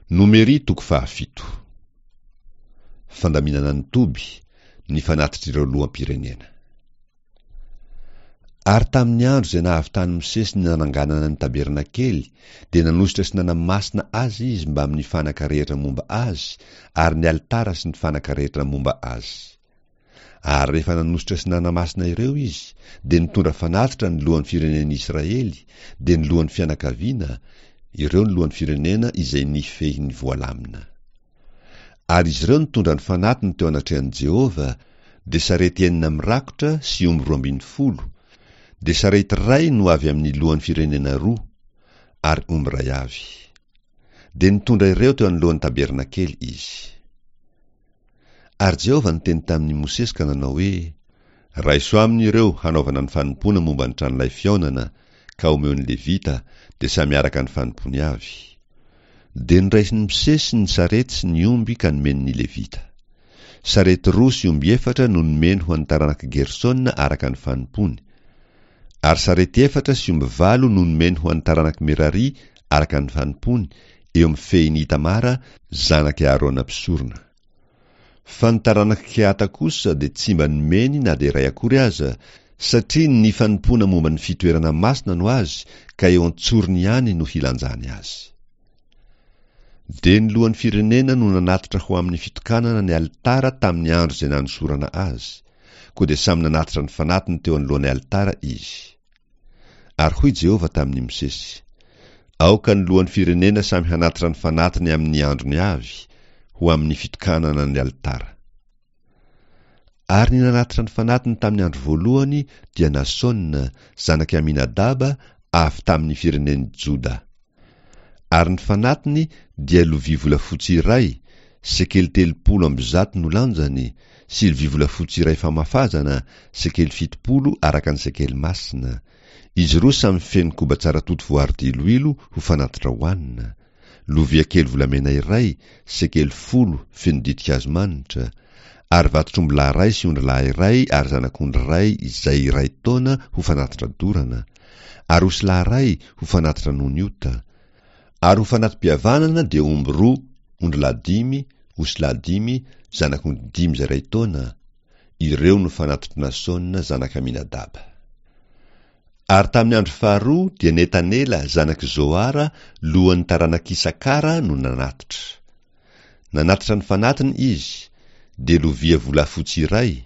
Nomery toko fahafito. Fandaminana ny toby, ny fanatitr'ireo loham-pirenena. Ary tamin'ny andro izay nahavitan'i Mosesy ny nananganana ny tabernakely, dia nanosotra sy nanamasina azy izy mbamin'ny fanaka rehetra momba azy, ary ny alitara sy ny fanaka rehetra momba azy. Ary rehefa nanosotra sy nanamasina ireo izy, dia nitondra fanatitra ny lohan'ny firenen'i Israely, dia ny lohan'ny fianakaviana, ireo ny lohan'ny firenena izay nifehy ny voalamina. Ary izy ireo nitondra ny fanatiny teo anatrehan'i Jehovah, dia sarety enina mirakotra sy omby 12, dia sarety iray no avy amin'ny lohan'ny firenena roa, ary omby iray avy. Dia nitondra ireo teo anoloan'ny tabernakely izy. Ary Jehovah niteny tamin'i Mosesy ka nanao hoe, Raiso aminy ireo hanaovana ny fanompoana momba ny tranolay fihaonana, ka omeo ny Levita, dia samy araka ny fanompoany avy. Dia noraisin'i Mosesy ny sarety sy ny omby ka nomeny ny Levita. Sarety roa sy omby efatra no nomeny ho an'ny taranak'i Gersona araka ny fanompoany. Ary sarety efatra sy omby valo no nomeny ho an'ny taranak'i Merari araka ny fanompoany, eo amin'ny fehin'i Itamara, zanak'i Aharona mpisorona. Fa ny taranak'i Kehata kosa dia tsy mba nomeny na dia iray akory aza, satria ny fanompoana momba ny fitoerana masina no azy ka eo an-tsorony ihany no hilanjany azy. Dia ny lohan'ny firenena no nanatitra ho amin'ny fitokanana ny alitara tamin'ny andro izay nanosorana azy, koa dia samy nanatitra ny fanatiny teo anoloan'ny alitara izy. Ary hoy Jehovah tamin'i Mosesy, Aoka ny lohan'ny firenena samy hanatitra ny fanatiny amin'ny androny avy, ho amin'ny fitokanana ny alitara. Ary ny nanatitra ny fanatiny tamin'ny andro voalohany dia Nasona, zanak'i Aminadaba, avy tamin'ny firenen'i Joda. Ary ny fanatiny dia lovia volafotsy iray, sekely 130 no lanjany, sy lovia volafotsy iray famafazana, sekely 70 araka ny sekely masina. Izy roa samy feno koba tsara toto voaro diloilo ho fanatitra hohanina, lovia kely volamena iray, sekely 10 feno ditin-kazo manitra, ary vatotr'ombilahy iray sy ondrilahy iray ary zanak'ondry iray izay iray taona ho fanatitra dorana, ary osilahy iray ho fanatitra noho ny ota, ary ho fanati-pihavanana dia omby roa, ondrilahy dimy, osilahy dimy, zanak'ondry dimy izay iray taona, ireo no fanatitr'i Nasona zanak'i Aminadaba. Ary tamin'ny andro faharoa dia Netanela zanak'i Zoara lohan'ny taranak'Isakara no nanatitra. Nanatitra ny fanatiny izy, dia lovia volafotsy iray,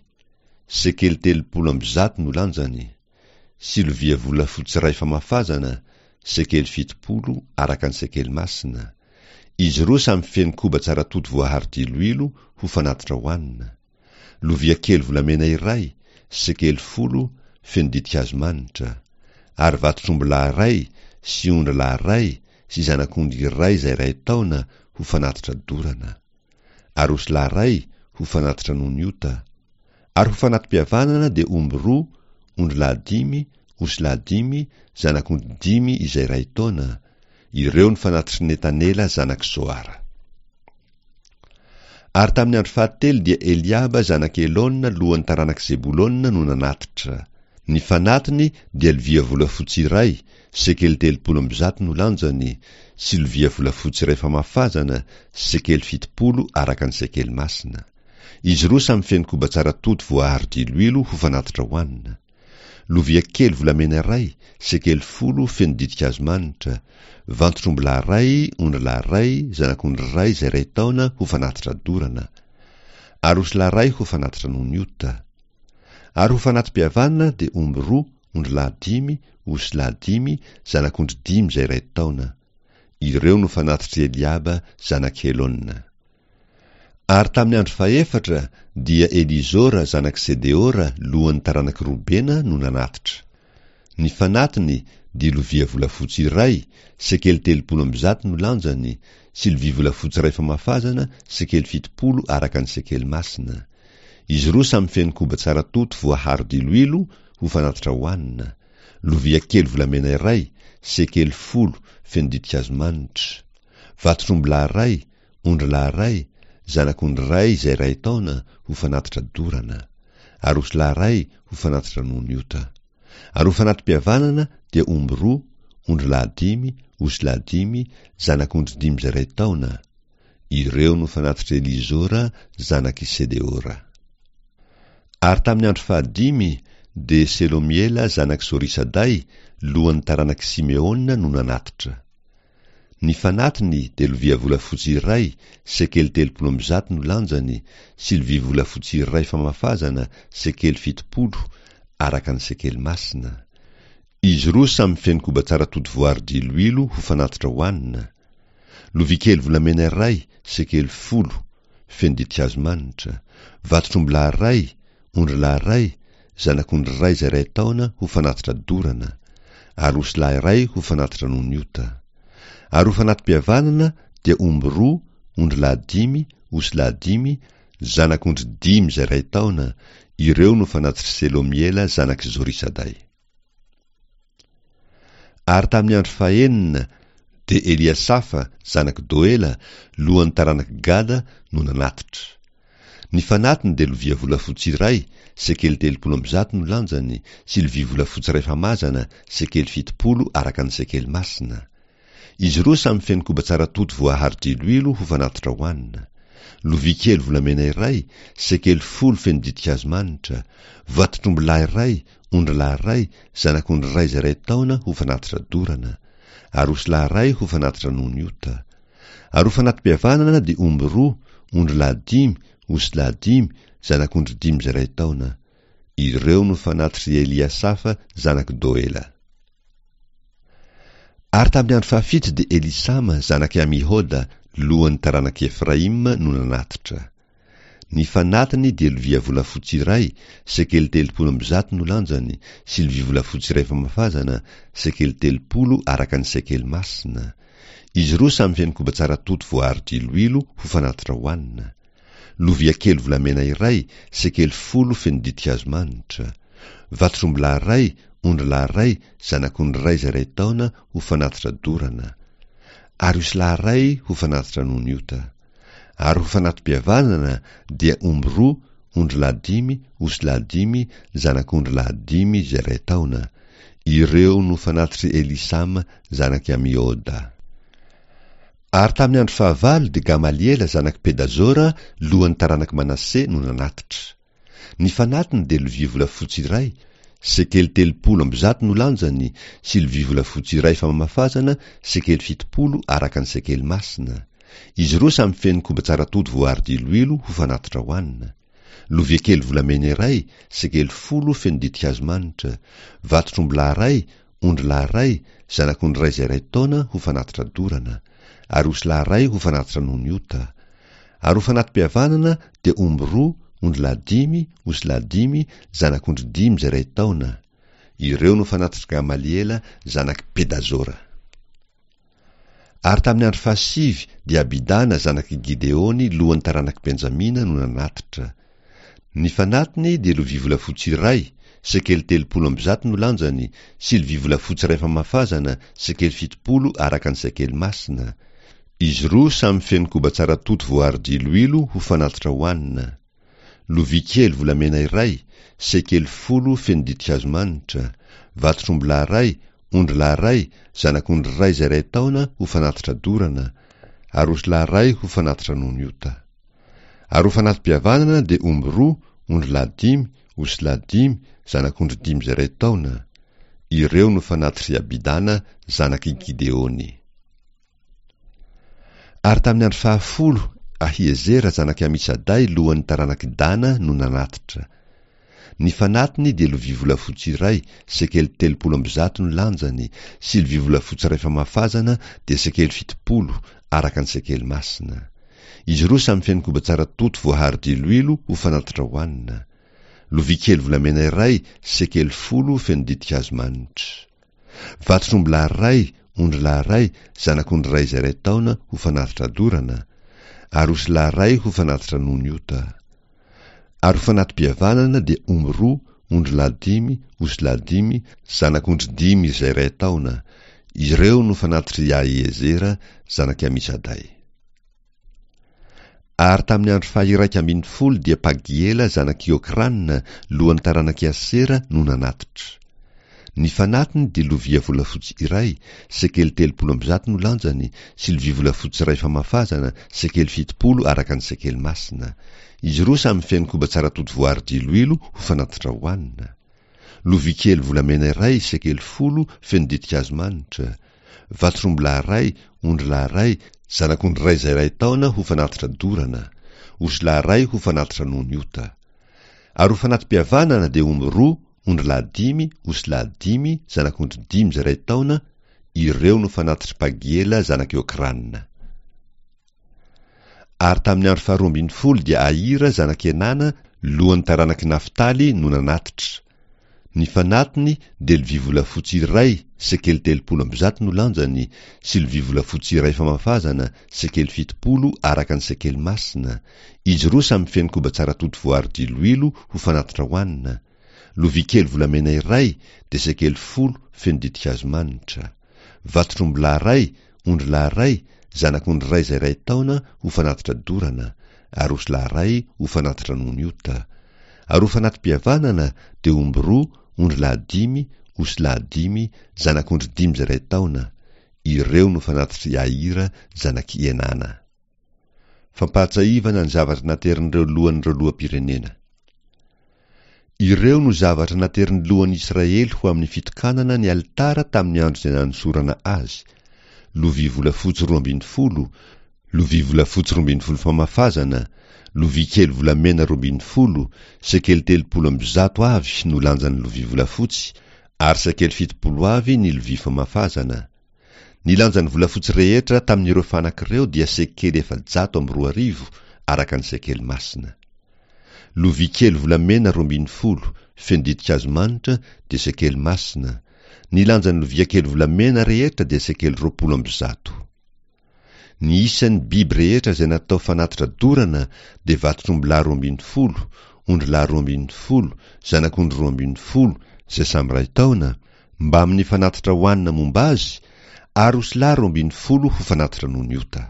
sekely 130 no lanjany, sy lovia volafotsy iray famafazana, sekely 70 araka ny sekely masina, izy roa samy feno koba tsara toto voaharo diloilo ho fanatitra hohanina, lovia kely volamena iray, sekely 10 feno ditin-kazo manitra, ary vatotr'ombilahy iray sy ondrilahy iray sy zanak'ondry iray izay iray taona ho fanatitra dorana, ary osilahy iray ho fanatitra noho ny ota, ary ho fanati-pihavanana dia omby roa, ondrilahy dimy, osilahy dimy, zanak'ondry dimy izay iray taona, ireo ny fanatitr'i Netanela zanak'i Zoara. Ary tamin'ny andro fahatelo dia Eliaba zanak'i Helona lohan'ny taranak'i Zebolona no nanatitra. Ny fanatiny dia lovia volafotsy iray, sekely 130 no lanjany, sy lovia volafotsy iray famafazana, sekely 70 araka ny sekely masina. Izy roa samy feno koba tsara toto voaharo diloilo ho fanatitra hohanina. Lovia kely volamena iray, sekely 10 feno ditin-kazo manitra, vantotr'ombilahy iray, ondrilahy iray, zanak'ondry iray izay iray taona ho fanatitra dorana, ary osilahy iray ho fanatitra noho ny ota. Ary ho fanati-pihavanana dia omby roa, ondrilahy dimy, osilahy dimy, zanak'ondry dimy izay iray taona. Ireo no fanatitr'i Eliaba zanak'i Helona. Ary tamin'ny andro fahefatra dia Elizora zanak'i Sedeora lohan'ny taranak'i Robena no nanatitra. Ny fanatiny dia lovia volafotsy iray, sekely 130 no lanjany, sy lovia volafotsy iray famafazana, sekely 70 araka ny sekely masina. Izy roa samy feno koba tsara toto voaharo diloilo ho fanatitra hohanina, lovia kely volamena iray, sekely 10 feno ditin-kazo manitra, vatotr'ombilahy iray, ondrilahy iray, zanak'ondry iray izay iray taona ho fanatitra dorana, ary osilahy iray ho fanatitra noho ny ota. Ary ho fanati-pihavanana dia omby roa, ondrilahy dimy, osilahy dimy, zanak'ondry dimy izay iray taona. Ireo no fanatitr'i Elizora, zanak'i Sedeora. Ary tamin'ny andro fahadimy, dia Selomiela zanak'i Zorisaday, lohan'ny taranak'i Simeona no nanatitra. Ny fanatiny dia lovia volafotsy iray, sekely 130 no lanjany, sy lovia volafotsy iray famafazana, sekely 70, araka ny sekely masina. Izy roa samy feno koba tsara tody voary diloilo ho fanatitra hohanina. Lovia kely volamena iray, sekely 10, feno ditin-kazo manitra. Vatotr'ombilahy iray, ondrilahy iray, zanak'ondry iray izay iray taona ho fanatitra dorana, ary osilahy iray ho fanatitra noho ny ota. Ary ho fanati-pihavanana dia omby roa, ondrilahy dimy, osilahy dimy, zanak'ondry dimy izay iray taona, ireo no fanatitr'i Selomiela zanak'i Zorisaday. Ary tamin'ny andro fahenina dia Eliasafa, zanak'i Doela, lohan'ny taranak'i Gada, no nanatitra. Ny fanatiny dia lovia volafotsy iray, sekely 130 no lanjany, sy lovia volafotsy iray famazana, sekely 70 araka ny sekely masina. Izy roa samy feno koba tsara toto voaharo diloilo ho fanatitra hohanina. Lovia kely volamena iray, sekely 10 feno ditin-kazo manitra, vatotr'ombilahy iray, ondrilahy iray, zanak'ondry iray izay iray taona ho fanatitra dorana, ary osilahy iray ho fanatitra noho ny ota. Ary ho fanati-pihavanana dia omby roa, ondrilahy dimy, osilahy dimy, zanak'ondry dimy izay iray taona. Ireo no fanatitr'i Eliasafa zanak'i Doela. Ary tamin'ny andro fahafito dia Elisama zanak'i Amihoda, lohan'ny taranak'i Efraima, no nanatitra. Ny fanatiny dia lovia volafotsy iray, sekely 130 no lanjany, sy lovia volafotsy iray famafazana, sekely 30 araka ny sekely masina. Izy roa samy feno koba tsara toto voaharo diloilo ho fanatitra hohanina. Lovia kely volamena iray, sekely 10 feno ditin-kazo manitra. Vatotr'ombilahy iray, ondrilahy iray, zanak'ondry iray izay iray taona ho fanatitra dorana. Ary osilahy iray ho fanatitra noho ny ota. Ary ho fanati-pihavanana dia omby roa, ondrilahy dimy, osilahy dimy, zanak'ondrilahy dimy izay iray taona. Ireo no fanatitr'i Elisama zanak'i Amioda. Ary tamin'ny andro fahavalo dia Gamaliela zanak'i Pedazora, lohan'ny taranak'i Manase, no nanatitra. Ny fanatiny dia lovia volafotsy iray, sekely 130 no lanjany, sy lovia volafotsy iray famafazana, sekely 70 araka ny sekely masina. Izy roa samy feno koba tsara toto voaharo diloilo ho fanatitra hohanina. Lovia kely volamena iray, sekely 10 feno ditin-kazo manitra. Vatotr'ombilahy iray, ondrilahy iray, zanak'ondry iray izay iray taona ho fanatitra dorana, ary osilahy iray ho fanatitra noho ny ota. Ary ho fanati-pihavanana dia omby roa, ondrilahy dimy, osilahy dimy, zanak'ondry dimy izay iray taona. Ireo no fanatitr'i Gamaliela zanak'i Pedazora. Ary tamin'ny andro fahasivy dia Abidana zanak'i Gideony lohan'ny taranak'i Benjamina no nanatitra. Ny fanatiny dia lovia volafotsy iray, sekely 130 no lanjany, sy lovia volafotsy iray famafazana, sekely 70 araka ny sekely masina. Izy roa samy feno koba tsara toto voaharo diloilo ho fanatitra hohanina. Lovia kely volamena iray, sekely 10 feno ditin-kazo manitra, vatotr'ombilahy iray, ondrilahy iray, zanak'ondry iray izay iray taona ho fanatitra dorana, ary osilahy iray ho fanatitra noho ny ota. Ary ho fanati-pihavanana dia omby roa, ondrilahy dimy, osilahy dimy, zanak'ondry dimy izay iray taona. Ireo no fanatitr'i Abidana zanak'i Gideony. Ary tamin'ny andro fahafolo, Ahiezera zanak'i Amisaday lohan'ny taranak'i Dana no nanatitra. Ny fanatiny dia lovia volafotsy iray, sekely 130 no lanjany, sy lovia volafotsy iray famafazana dia sekely 70, araka ny sekely masina. Izy roa samy feno koba tsara toto voaharo diloilo ho fanatitra hohanina. Lovia kely volamena iray, sekely 10 feno ditin-kazo manitra. Vatotr'ombilahy iray, ondrilahy iray, zanak'ondry iray izay iray taona ho fanatitra dorana, ary osilahy iray ho fanatitra noho ny ota. Ary ho fanati-pihavanana dia omby roa, ondrilahy dimy, osilahy dimy, zanak'ondry dimy izay iray taona. Ireo no fanatitr'i Ahiezera zanak'i Amisaday. Ary tamin'ny andro faha-11 dia Pagiela zanak'i Okrana, lohan'ny taranak'i Asera, no nanatitra. Ny fanatiny dia lovia volafotsy iray, sekely 130 no lanjany, sy lovia volafotsy iray famafazana, sekely 70 araka ny sekely masina. Izy roa samy feno koba tsara toto voary diloilo ho fanatitra hohanina. Lovia kely volamena iray, sekely 10, feno ditin-kazo manitra. Vatotr'ombilahy iray, ondrilahy iray, zanak'ondry iray izay iray taona ho fanatitra dorana. Osilahy iray ho fanatitra noho ny ota. Ary ho fanati-pihavanana dia omby roa, ondrilahy dimy, osilahy dimy, zanak'ondry dimy izay iray taona, ireo no fanatitr'i Pagiela zanak'i Okrana. Ary tamin'ny andro faharoa ambin'ny folo dia Ahira zanak'i Enana, lohan'ny taranak'i Naftaly, no nanatitra. Ny fanatiny dia lovia volafotsy iray, sekely 130 no lanjany, sy lovia volafotsy iray famafazana, sekely 70 araka ny sekely masina, izy roa samy feno koba tsara toto voary diloilo ho fanatitra hohanina, lovia kely volamena iray dia sekely 10 feno ditin-kazo manitra, vatotr'ombilahy iray, ondrilahy iray, zanak'ondry iray izay iray taona ho fanatitra dorana, ary osilahy iray ho fanatitra noho ny ota. Ary ho fanati-pihavanana dia omby roa, ondrilahy dimy, osilahy dimy, zanak'ondry dimy izay iray taona. Ireo no fanatitr'i Ahira zanak'i Enana. Fampahatsahivana ny zavatra naterin'ireo lohan'ireo loham-pirenena. Ireo no zavatra naterin'ny lohan'i Israely ho amin'ny fitokanana ny alitara tamin'ny andro izay nanosorana azy, lovia volafotsy 12, lovia volafotsy 12 famafazana, lovia kely volamena 12, sekely 130 avy no lanjan'ny lovia volafotsy, ary sekely 70 avy ny lovia famafazana. Ny lanjan'ny volafotsy rehetra tamin'ireo fanaka ireo dia sekely 2004, araka ny sekely masina. Lovia kely volamena 12, feno ditin-kazo manitra, dia sekely masina. Ny lanjan'ny lovia kely volamena rehetra dia sekely 120. Ny isan'ny biby rehetra izay natao fanatitra dorana dia vatotr'ombilahy 12, ondrilahy 12, zanak'ondry 12, izay samy iray taona, mbamin'ny fanatitra hohanina momba azy, ary osilahy 12 ho fanatitra noho ny ota.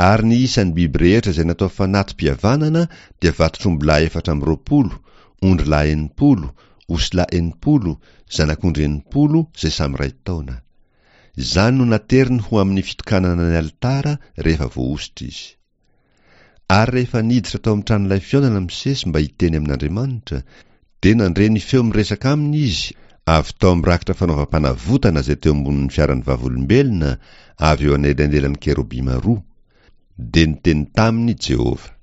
Ary ny isan'ny biby rehetra izay natao fanati-pihavanana dia vatotr'ombilahy 24, ondrilahy 60, osilahy 60, zanak'ondry 60, izay samy iray taona. Izany no nateriny ho amin'ny fitokanana ny alitara rehefa voahosotra izy. Ary rehefa niditra tao amin'ny tranolay fihaonana Mosesy mba hiteny amin'Andriamanitra, dia nandre ny feo miresaka aminy izy avy tao amin'ny rakitra fanaovam-panavotana izay teo ambonin'ny fiaran'ny Vavolombelona avy eo anelanelan'ny kerobima roa. Dia niteny taminy Jehovah.